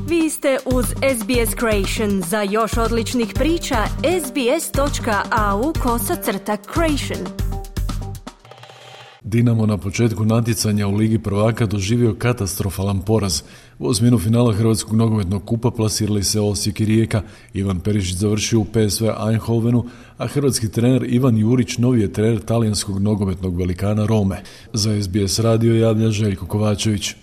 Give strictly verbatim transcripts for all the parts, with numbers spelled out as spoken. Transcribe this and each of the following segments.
Vi ste uz S B S Creation. Za još odličnih priča, sbs.au kosacrta creation. Dinamo na početku natjecanja u Ligi prvaka doživio katastrofalan poraz. U osminu finala Hrvatskog nogometnog kupa plasirali se Osijek i Rijeka. Ivan Perišić završio u P S V Eindhovenu, a hrvatski trener Ivan Jurić novi je trener talijanskog nogometnog velikana Rome. Za S B S radio javlja Željko Kovačević.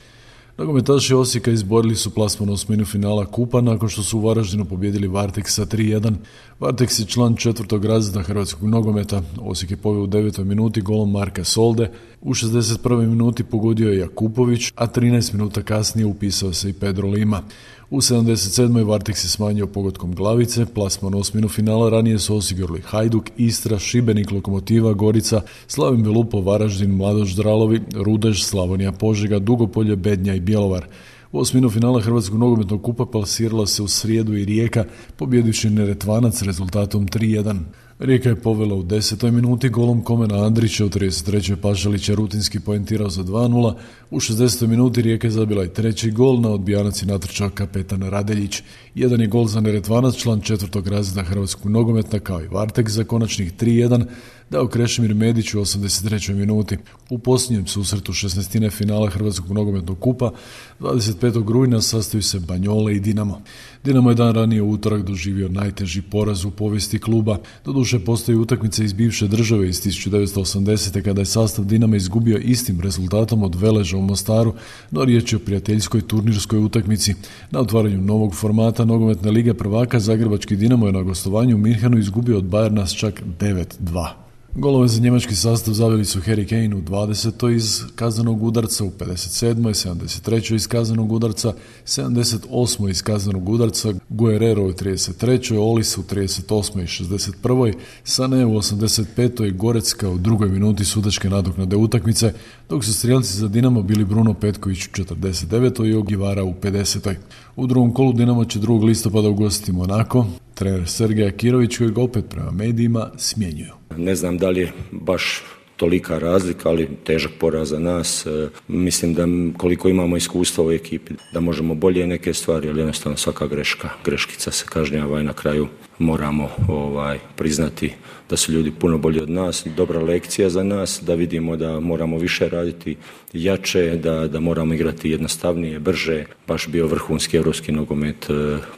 Nogometaši Osijeka izborili su plasman u osminu finala kupa nakon što su u Varaždinu pobijedili Varteks sa tri jedan. Varteks je član četvrtog razreda hrvatskog nogometa. Osijek je poveo u devetoj minuti golom Marka Solde. U šezdeset prvoj minuti pogodio je Jakupović, a trinaest minuta kasnije upisao se i Pedro Lima. U sedamdeset sedmoj Varteks je smanjio pogodkom glavice. Plasman u osminu finala ranije su osigurali Hajduk, Istra, Šibenik, Lokomotiva, Gorica, Slavin Belupo, Varaždin, Mladoš Dralovi, Rudež, Slavonija Požega, Dugopolje, Bednja i Bjelovar. U osminu finala Hrvatskog nogometnog kupa plasirala se u srijedu i Rijeka, pobjedivši Neretvanac rezultatom tri jedan. Rijeka je povela u desetoj minuti golom Komena Andrića, u trideset trećoj Pašalić je rutinski poentirao za dva nula, u šezdesetoj minuti Rijeka je zabila i treći gol, na odbijanac je natrčao kapetan Radeljić. Jedan je gol za Neretvanac, član četvrtog razreda hrvatskog nogometa, kao i Varteks za konačnih tri jedan, dao Krešimir Medić u osamdeset trećoj minuti. U posljednjem susretu šesnaestine finala Hrvatskog nogometnog kupa dvadeset petog rujna sastaju se Banjole i Dinamo. Dinamo je dan ranije u utorak doživio najteži poraz u povijesti kluba. Doduše postoji utakmica iz bivše države iz tisuću devetsto osamdesete kada je sastav Dinama izgubio istim rezultatom od Veleža u Mostaru, no riječ je o prijateljskoj turnirskoj utakmici. Na otvaranju novog formata nogometne lige prvaka zagrebački Dinamo je na gostovanju u Minhenu izgubio od Bayerna s čak devet dva. Golove za njemački sastav zaveli su Harry Kane u dvadesetoj iz kaznenog udarca, u pedeset sedmoj, sedamdeset trećoj iz kaznenog udarca, sedamdeset osmoj iz kaznenog udarca, Guerrero u trideset trećoj, Olis u trideset osmoj i šezdeset prvoj, Sané u osamdeset petoj, Gorecka u drugoj minuti sudačke nadoknade utakmice, dok su strijelci za Dinamo bili Bruno Petković u četrdeset devetoj i Ogivara u pedesetoj. U drugom kolu Dinamo će drugog listopada ugostiti Monako. Trener Sergej Akirović, kojeg opet prema medijima smjenjuju. Ne znam da li je baš tolika razlika, ali težak poraz za nas. E, mislim da koliko imamo iskustva u ekipi, da možemo bolje neke stvari, ali jednostavno svaka greška, greškica se kažnjava i na kraju moramo ovaj, priznati da su ljudi puno bolji od nas, dobra lekcija za nas, da vidimo da moramo više raditi, jače, da, da moramo igrati jednostavnije, brže, baš bio vrhunski europski nogomet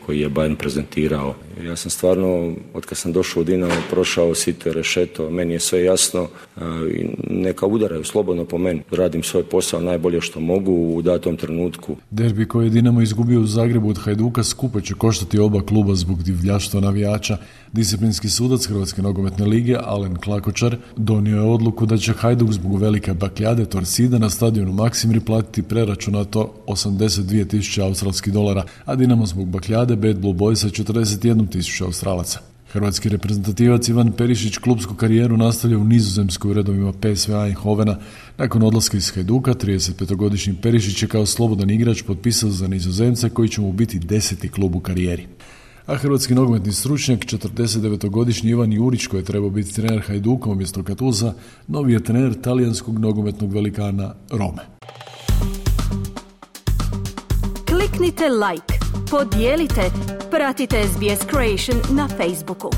koji je Bayern prezentirao. Ja sam stvarno, od kad sam došao u Dinamo, prošao sito rešeto, meni je sve jasno, neka udaraju slobodno po meni, radim svoj posao najbolje što mogu u datom trenutku. Derbi koji je Dinamo izgubio u Zagrebu od Hajduka skupo će koštati oba kluba zbog divljaštva navijača. Disciplinski sudac Hrvatske nogometne lige Alen Klakočar donio je odluku da će Hajduk zbog velike bakljade Torsida na stadionu Maksimir platiti preračunato osamdeset dvije tisuće australskih dolara, a Dinamo zbog bakljade Bad Blue Boysa četrdeset jednu tisuću australaca. Hrvatski reprezentativac Ivan Perišić klubsku karijeru nastavlja u Nizozemskoj u redovima P S V Eindhovena. Nakon odlaska iz Hajduka, tridesetpetogodišnji Perišić je kao slobodan igrač potpisao za Nizozemce koji će mu biti deseti klub u karijeri. A hrvatski nogometni stručnjak, četrdesetdevetogodišnji Ivan Jurić, koji je trebao biti trener Hajduka umjesto Katuza, novi je trener talijanskog nogometnog velikana Rome. Kliknite like, podijelite, pratite S B S Creation na Facebooku.